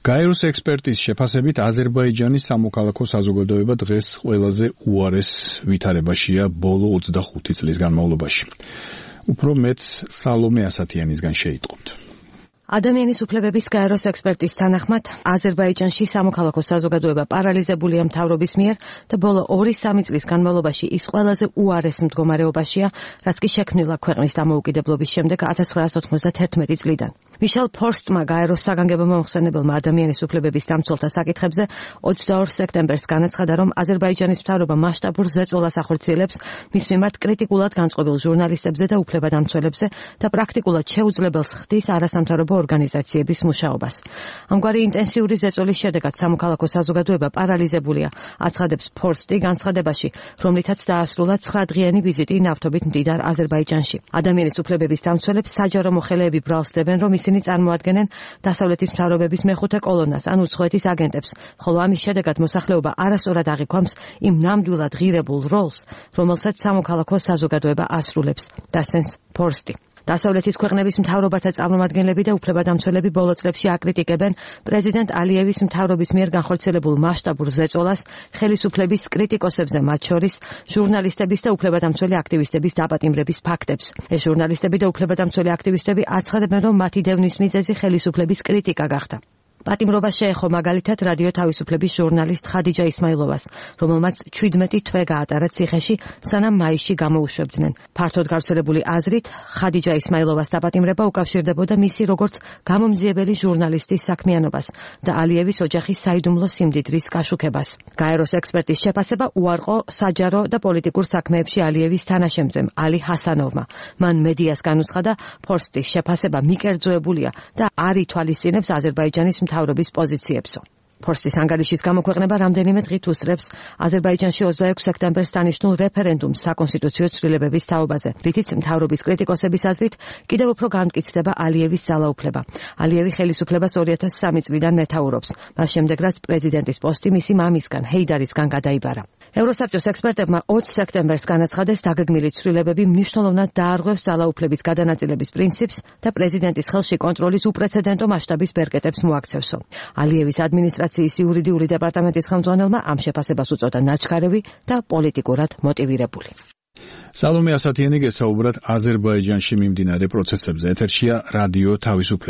გაეროს ექსპერტის შეფასებით აზერბაიჯანის სამოქალაქო საზოგადოება დღეს ყველაზე უარეს ვითარებაშია ბოლო 25 წლის განმავლობაში. უფრო მეც სალომე ასათიანისგან შეიტყობთ. ადამიანის უფლებების გაეროს ექსპერტის თანახმად, აზერბაიჯანში სამოქალაქო საზოგადოება პარალიზებულია მთავრობის მიერ და ბოლო 2-3 წლის განმავლობაში ის ყველაზე უარეს მდგომარეობაშია, რაც კი შექმნილა ქვეყნის დამოუკიდებლობის შემდეგ 1991 წლიდან. მიშელ ფორსტმა გაეროს საგანგებო მომხსენებელმა ადამიანის უფლებების დამცველთა საკითხებზე 22 სექტემბერს განაცხადა, რომ აზერბაიჯანის მთავრობა მასშტაბურ ზეწოლას ახორციელებს მის მიმართ კრიტიკულად განწყობილ ჟურნალისტებზე და უფლებადამცველებზე და პრაქტიკულად შეუძლებელს ხდის არასამთავრობო ორგანიზაციების მუშაობას. ამგვარი ინტენსიური ზეწოლის შედეგად სამოქალაქო საზოგადოება პარალიზებულია, აცხადებს ფორსტი განცხადებაში, რომლითაც დაასრულა 9-დღიანი ვიზიტი ნავთობით მდიდარ აზერბაიჯანში. ადამიანის უფლებების დამცველებს საჯარო მოხელეები ბრალსდებენ, რომ ისინი წარმოადგენენ დასავლეთის მთავრობების მეხუთე კოლონას ან უცხოეთის აგენტებს, ხოლო ამის შედეგად მოსახლეობა არასწორად აღიქვამს იმ ნამდვილად ღირებულ როლს, რომელსაც სამოქალაქო საზოგადოება ასრულებს, დასცენს ფორსტი. დასავლეთის ქვეყნების მთავრობათა წარმომადგენლები და უფლებადამცველები ბოლო წლებში აკრიტიკებენ პრეზიდენტ ალიევის მთავრობის მიერ განხორციელებულ მასშტაბურ ზეწოლას, ხელისუფლების კრიტიკოსებზე, მათ შორის ჟურნალისტების და უფლებადამცველი აქტივისტების დაპატიმრების ფაქტებს. ეს ჟურნალისტები და უფლებადამცველი აქტივისტები აცხადებენ, რომ მათი დევნის მიზეზი ხელისუფლების კრიტიკა გახდა. პატიმრობა შეეხო მაგალითად რადიო თავისუფლების ჟურნალისტ ხადიჯა ისმაილოვას, რომელმაც 17 თვე გაატარა ციხეში, სანამ მაისში გამოუშვებდნენ. ფართოდ გავრცელებული აზრით, ხადიჯა ისმაილოვას დაპატიმრება უკავშირდებოდა მისი როგორც გამომძიებელი ჟურნალისტის საქმიანობას და ალიევის ოჯახის საიდუმლო სიმდიდრის გაშუქებას. გაეროს ექსპერტის შეფასება უარყო საჯარო და პოლიტიკურ საქმეებში ალიევის თანაშემწემ ალი ჰასანოვმა. მან მედიას განუცხადა, ფორსტის შეფასება მიკერძოებულია და არ ითვალისწინებს აზერბაიჯანის მთავრობის პოზიციებსო. ფორსტის ანგარიშის გამოქვეყნება რამდენიმე დღით უსწრებს აზერბაიჯანში 26 სექტემბერს დანიშნულ რეფერენდუმს საკონსტიტუციო ცვლილებების თაობაზე, რითიც მთავრობის კრიტიკოსების აზრით კიდევ უფრო განმტკიცდება ალიევის ძალაუფლება. ალიევი ხელისუფლებას 2003 წლიდან მეთაურობს, მას შემდეგ რაც პრეზიდენტის პოსტი მისი მამისგან, ჰეიდარისგან გადაიბარა. ევროსაბჭოს ექსპერტებმა 20 სექტემბერს განაცხადეს, დაგეგმილი ცვლილებები მნიშვნელოვნად დაარღვევს ძალაუფლების გადანაწილების პრინციპს და პრეზიდენტის ხელში კონტროლის უპრეცედენტო მასშტაბის ბერკეტებს მოაქცევსო. ალიევის ადმინისტრაციის იურიდიული დეპარტამენტის ხელმძღვანელმა ამ შეფასებას უწოდა ნაჩქარევი და პოლიტიკურად მოტივირებული. სალომე ასათიანი გესაუბრათ აზერბაიჯანში მიმდინარე პროცესებზე. ეთერშია რადიო თავისუფლების